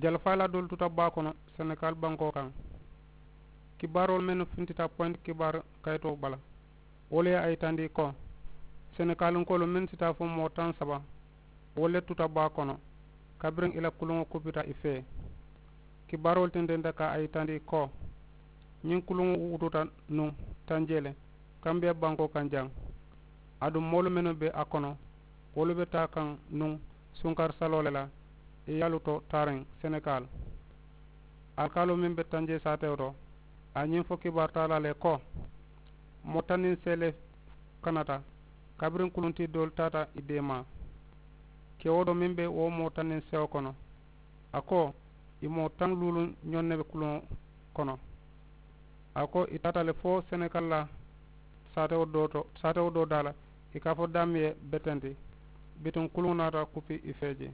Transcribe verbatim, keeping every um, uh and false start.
Jalfaalaa doolu tuta baa kono senegaal bankoo kaŋ. Kibaaroolu mennu fintita poyinti kibaari kayitoo bala, wolu ye a yitandi ko senegaalinkoolu mennu si taa fo moo taŋ saba, wolu le tuta baa kono kabiriŋ i la kuluŋo kupita i fee. Kibaaroolu tententa ka a yitandi ko ñiŋ kuluŋo wututa nuŋ tanjee le kambiya bankoo kaŋ jaŋ. Aduŋ moolu mennu be a kono, wolu be taa kaŋ nuŋ sunkari saloo le la i yaalu to taariŋ senegaal. Alikaaloo meŋ be tanjee saatewo to, a ye ñiŋ fo kibaari taalaa le ko moo taŋ niŋ seele kanata kabiriŋ kuluntii doolu taata i deemaa. Kewoo doo meŋ be wo moo taŋ niŋ sewo kono, a ko i moo taŋ luulu ñoŋ ne be kuluŋo kono. A ko i taata le fo senegaal la saatewo doo to, saatewo doo daa la i ka a fo daamiye betenti. Bituŋ kuluŋo naata kupi i fee je.